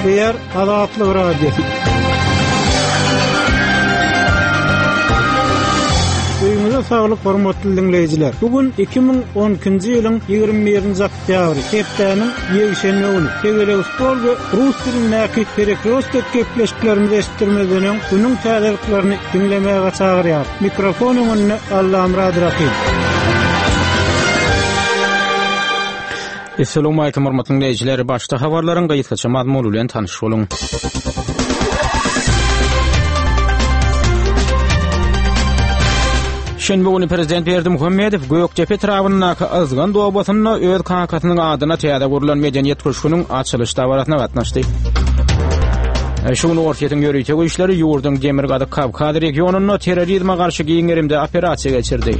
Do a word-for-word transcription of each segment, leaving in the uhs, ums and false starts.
Gepleýär Azatlyk Radiosy. Öýüňize saglyk hormatly diňleýjiler. Bu gün iki müň on ikinji ýylyň ýigrimi birinji oktýabry, hepdäniň ýekşenbe güni. Tegelek stol we rus dilindäki Perekrostek gepleşiklerimizi eşitdirmezden öň günüň täzeliklerini diňlemäge çagyrýar. Mikrofon öňünde Allamyrat Rahim. Assalamu alaykum hormatly dinleýjiler. Başda habarlaryň gysgaça mazmuny bilen tanyş boluň. Şenbe güni Prezident Berdimuhamedow Gökdepe etrabyndaky Yzgan obasynda öz kakasynyň adyna täze gurlan medeniýet köşgüniň açylyş dabarasyna gatnaşdy. Şu gün Orsýetiň ýörite güýçleri ýurduň Demirgazyk Kawkaz regionynda terrorizme garşy giň gerimde operasiýa geçirdi.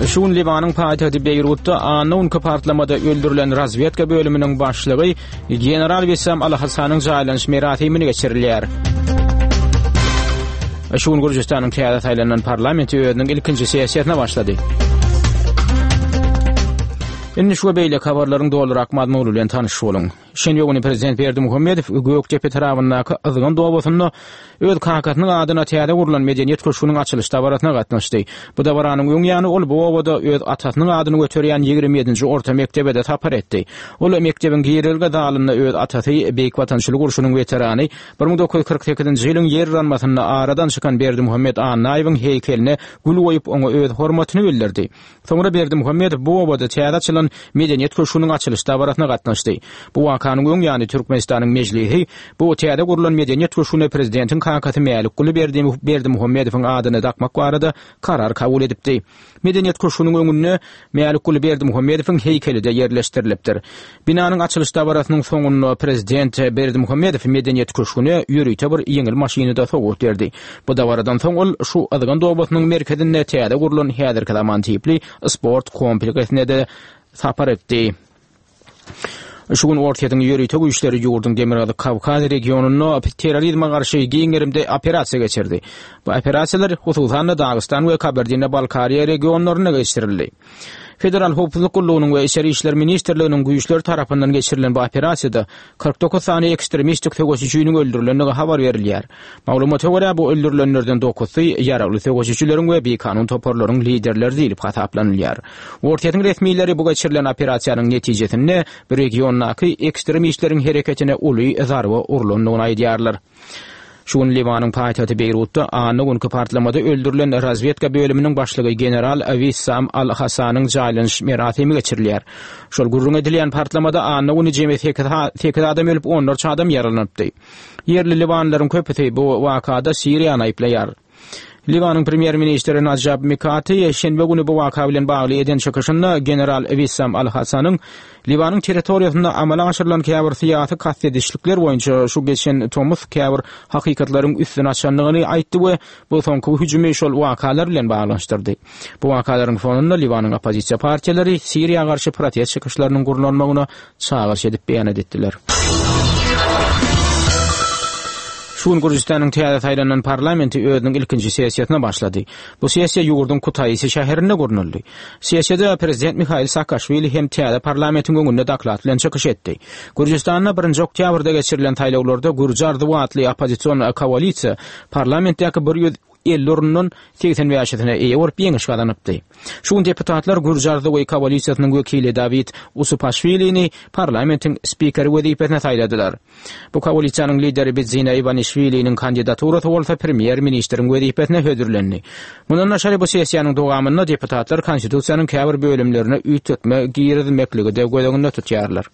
Şu gün Liwanyň paýtagty Beýrutda anna günki partlamada öldürilen razvedka bölüminiň başlygy General Wissam Al-Hasanyň jaýlanyş merasimini geçirilýär. Şu gün Gürjüstanyň täze saýlanan parlamenti özüniň ilkinji sessiýasyna başlady. Indi şu beýleki habarlaryň dolurak mazmuny bilen tanyş boluň. Şenbe güni Prezident Berdimuhamedow Gökdepe etrabyndaky Yzgan obasynda öz kakasynyň adyna täze gurlan medeniýet köşgüniň açylyş dabarasyna gatnaşdy. Bu dabaranyň öň ýany ol bu obada öz atasynyň adyny göterýän ýigrimi ýedinji orta mekdebe-de sapar etdi. Ol mekdebiň girelge zalynda öz atasy Beýik Watançylyk urşunyň weterany bir müň dokuz ýüz kyrk sekizinji ýylyň ýer yranmasynda aradan çykan Berdimuhamed Annaýewiň heýkeline gül goýup oňa öz hormatyny bildirdi. Soňra Berdimuhamedow bu obada täze açylan medeniýet köşgüniň açylyş dabarasyna gatnaşdy. Bu wakanyň öň ýany Türkmenistanyň mejlisi bu täze gurlan medeniýet köşgüne prezidentiň kakasy Mälikguly Berdimuhamedowyň adyny dakmak barada karar kabul edipdi. Medeniýet köşgüniň öňünde Mälikguly Berdimuhamedowyň heýkeli-de ýerleşdirilipdir. Binanyň açylyş dabarasynyň soňunda prezident Berdimuhamedow medeniýet köşgüne ýörite bir ýeňil maşyny-da sowgat berdi. Bu dabaradan soň ol şu Yzgan obasynyň merkezinde täze gurlan häzirki zaman tipli sport kompleksine de sapar etdi. Şu gün Orsýetiň ýörite güýçleri ýurduň Demirgazyk Kawkaz regionynda terrorizme garşy giň gerimde operasiýa geçirdi. Bu operasiýalar hususan-da Dagystan we Kabardino-Balkariýa regionlarynda geçirildi. Federal Howpsuzlyk Gullugynyň we Içeri İşler Ministrliginiň güýçleri tarapyndan geçirilen bu operasiýada kyrk dokuz sany ekstremistik söweşijiniň öldürilendigi habar berilýär. Maglumata görä bu öldürilenlerden dokuzsy ýaragly söweşijileriň we bikanun toparlaryň liderleri diýlip hasaplanylýar. Orsýetiň resmileri bu geçirilen operasiýanyň netijesinde bu regiondaky ekstremistleriň hereketine uly zarba urlandygyny aýdýarlar. Şu gün Liwanyň paýtagty Beýrutda anna günki partlamada öldürilen razvedka bölüminiň başlygy General Wissam Al-Hasanyň jaýlanyş merasimi geçirilýär. Şol gürrüň edilýän partlamada anna güni jemi sekiz, sekiz adam ölüp, onlarça adam ýaralanypdy. Ýerli liwanlaryň köpüsi bu wakada Siriýany aýyplaýar. Liwanyň premýer-ministri Najab Mikati şenbe güni bu waka bilen bagly eden çykyşynda General Wissam Al-Hasanyň Liwanyň territoriýasynda amala aşyrylan käbir syýasy kast edişlikler boýunça şu geçen tomus käbir hakykatlaryň üstüni açandygyny aýtdy we bu soňky hüjümi şol wakalar bilen baglanyşdyrdy. Bu wakalaryň fonunda Liwanyň oppozisiýa partiýalary Siriýa garşy protest çykyşlarynyň gurlanmagyna çagyryş edip beýan etdiler. Şu gün Gürjüstanyň täze saýlanan parlamenti özüniň ilkinji sessiýasyna başlady. Bu sessiýa ýurduň Kutaisi şäherinde gurnaldy. Sessiýada prezident Mihail Saakaşwili hem täze parlamentiň öňünde doklad bilen çykyş etdi. Gürjüstanda birinji oktýabrda geçirilen saýlawlarda Gürji Arzuw atly oppozision koalisiýa parlamentdäki bir ýüz elli orundan seksen bäşisine eýe bolup ýeňiş gazanypdy. Şu gün deputatlar Gürji Arzuwy koalisiýasynyň wekili Dawid Usupaşwilini parlamentiň spikeri wezipesine saýladylar. Bu koalisiýanyň lideri Bidzina Iwanişwiliniň kandidaturasy bolsa premýer-ministriň wezipesine hödürlendi. Mundan daşary bu sessiýanyň dowamynda deputatlar konstitusiýanyň käbir bölümlerine üýtgetme girizmekligi de göz öňünde tutýarlar.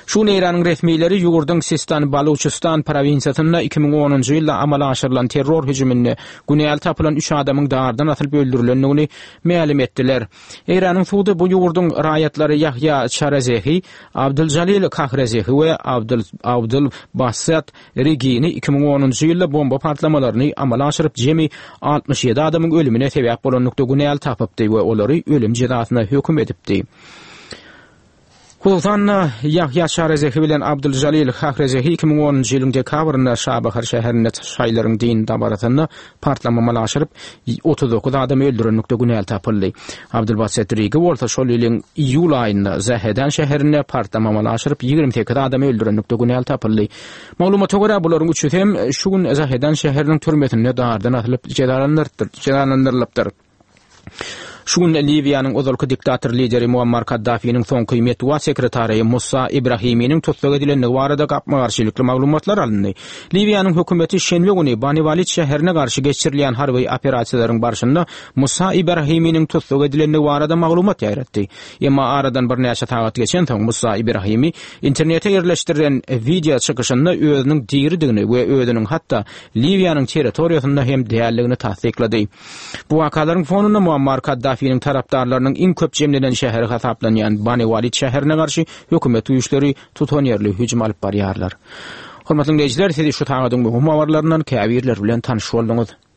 Şu gün Eýranyň resmileri ýurduň Sistan-Baluçistan provinsiýasynda iki müň onunjy ýylda amala aşyrylan terror hüjüminde günäli tapylan üç adamyň dardan asylyp öldürilendigini mälim etdiler. Eýranyň sudy bu ýurduň raýatlary Ýahýa Çarazehi, Abdüljalil Kahrezehi we Abdül, Abdül Bassat Regini iki müň onunjy ýylda bomba partlamalaryny amala aşyryp jemi altmyş ýedi adamyň ölümine sebäp bolanlykda günäli tapypdy we olary ölüm jezasyna höküm edipdi. Hususan-da, Ýahýa Şarezehi bilen Abdyljalil Hahrezehi iki müň onunjy ýylyň dekabrynda Şabahar şäherinde şaýylaryň dini dabarasynda partlama amala aşyryp, otuz dokuz adamy öldürenlikde günäli tapyldy. Abdylbaset Rigi bolsa şol ýylyň iýul aýynda Zahedan şäherinde partlama amala aşyryp, ýigrimi sekiz adamy öldürenlikde günäli tapyldy. Maglumata görä, bularyň üçüsi hem şu gün Zahedan şäheriniň türmesinde dardan asylyp jezalandyrylypdyr. Şu gün Liwiýanyň ozalky diktator lideri Muammar Kaddafiniň soňky metbugat sekretary Musa Ibrahiminiň tussag edilendigi barada gapma-garşylykly maglumatlar alyndy. Liwiýanyň hökümeti şenbe güni Bani Walid şäherine garşy geçirilýän harby operasiýalaryň barşynda Musa Ibrahiminiň tussag edilendigi barada maglumat ýaýratdy. Emma aradan birnäçe sagat geçensoň Musa Ibrahimi internete ýerleşdirilen wideo çykyşynda özüniň diridigini we özüniň hatda Liwiýanyň territoriýasynda hem däldigini tassyklady. Bu wakalaryň fonunda Muammar Kaddafiniň tarapdarlarynyň iň köp jemlenen şäheri hasaplanýan Bani Walid şäherine garşy hökümet güýçleri tutanýerli hüjüm alyp barýarlar. Hormatly diňleýjiler, siz şu sagadyň möhüm habarlaryndan käbirleri bilen tanyş bolduňyz.